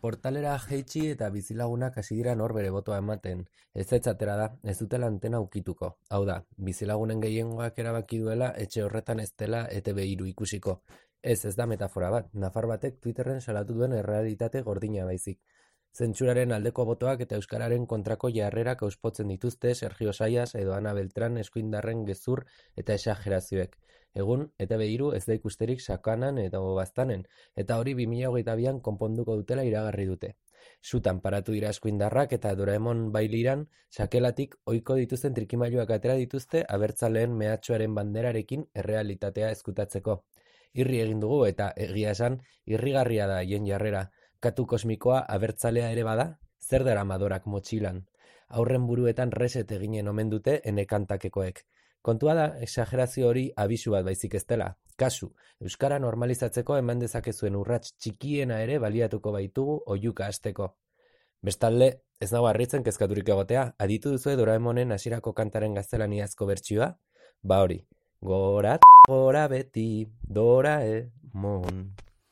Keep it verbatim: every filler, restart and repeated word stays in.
Portalera jaitsi eta bizilagunak hasi dira nor bere botoa ematen. Ez atera da, ez dutela antena ukituko. Hau da, bizilagunen gehiengoak erabaki duela etxe horretan ez dela E Te Be hiru ikusiko. Ez, ez da metafora bat, nafar batek Twitterren salatu duen errealitate gordina baizik. Zentsuraren aldeko botoak eta euskararen kontrako jarrerak auspotzen dituzte Sergio Saias edo Ana Beltran eskuindarren gezur eta exagerazioek. Egun, E Te Be hiru ez da ikusterik sakanan eta baztanen, eta hori bi mila hogeita bian konponduko dutela iragarri dute. Sutan paratu dira eskuindarrak eta Doraemon bailiran sakelatik ohiko dituzten trikimailuak atera dituzte abertzaleen mehatxuaren banderarekin errealitatea ezkutatzeko. Irri egin dugu eta egia esan, irrigarria da haien jarrera. Katu kosmikoa abertzalea ere bada, zer dara madorak motxilan. Aurren buruetan reset eginen omen dute enekantakekoek. Kontua da, exagerazio hori abisu bat baizik ez dela. Kasu, euskara normalizatzeko eman dezakezuen urrats txikiena ere baliatuko baitugu oihuka hasteko. Bestalde, ez nago harritzen kezkaturik egotea, aditu duzue Doraemonen hasierako kantaren gaztelaniazko bertsioa? Ba hori, gora, gora beti, Doraemon.